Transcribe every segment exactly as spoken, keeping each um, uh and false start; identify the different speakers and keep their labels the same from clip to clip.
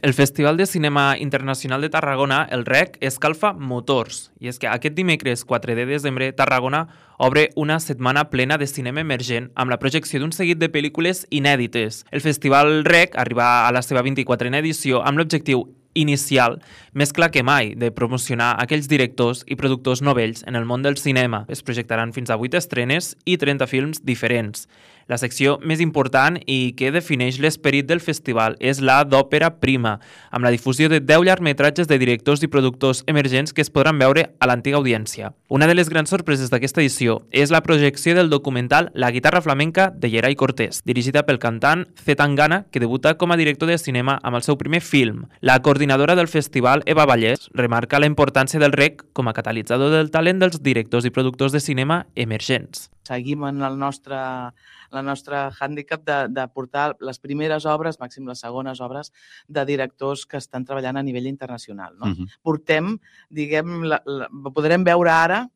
Speaker 1: El Festival de Cinema Internacional de Tarragona, el R E C, escalfa motors. I és que aquest dimecres quatre de desembre, Tarragona obre una setmana plena de cinema emergent amb la projecció d'un seguit de pel·lícules inèdites. El Festival R E C arriba a la seva vint-i-quatrena edició amb l'objectiu inicial, més clar que mai, de promocionar aquells directors i productors novells en el món del cinema. Es projectaran fins a vuit estrenes i trenta films diferents. La secció més important i que defineix l'esperit del festival és la d'òpera prima, amb la difusió de deu llargmetratges de directors i productors emergents que es podran veure a l'antiga audiència. Una de les grans sorpreses d'aquesta edició és la projecció del documental La guitarra flamenca de Yeray Cortés, dirigida pel cantant C. Tangana, que debuta com a director de cinema amb el seu primer film. La coordinadora del festival, Eva Vallès, remarca la importància del R E C com a catalitzador del talent dels directors i productors de cinema emergents.
Speaker 2: Seguim en el nostre, la nostra hàndicap de, de portar les primeres obres, màxim les segones obres, de directors que estan treballant a nivell internacional. No? Uh-huh. Portem, diguem, la, la, podrem veure ara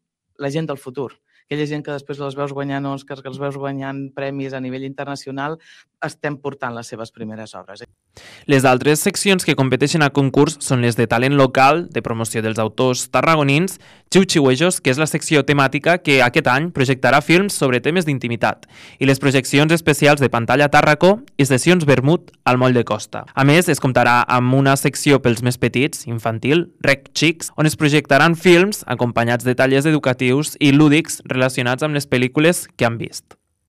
Speaker 2: la gent del futur. Aquella gent que després les veus guanyant Oscars, que els veus guanyant premis a nivell internacional, estem portant les seves primeres obres.
Speaker 1: Les altres seccions que competeixen a concurs són les de talent local, de promoció dels autors tarragonins, Xiu-Xiuejos, que és la secció temàtica que aquest any projectarà films sobre temes d'intimitat, i les projeccions especials de Pantalla Tàrraco i sessions vermut al Moll de Costa. A més, es comptarà amb una secció pels més petits, infantil, R E C Xics, on es projectaran films acompanyats de tallers educatius i lúdics relacionats amb les pel·lícules que han vist.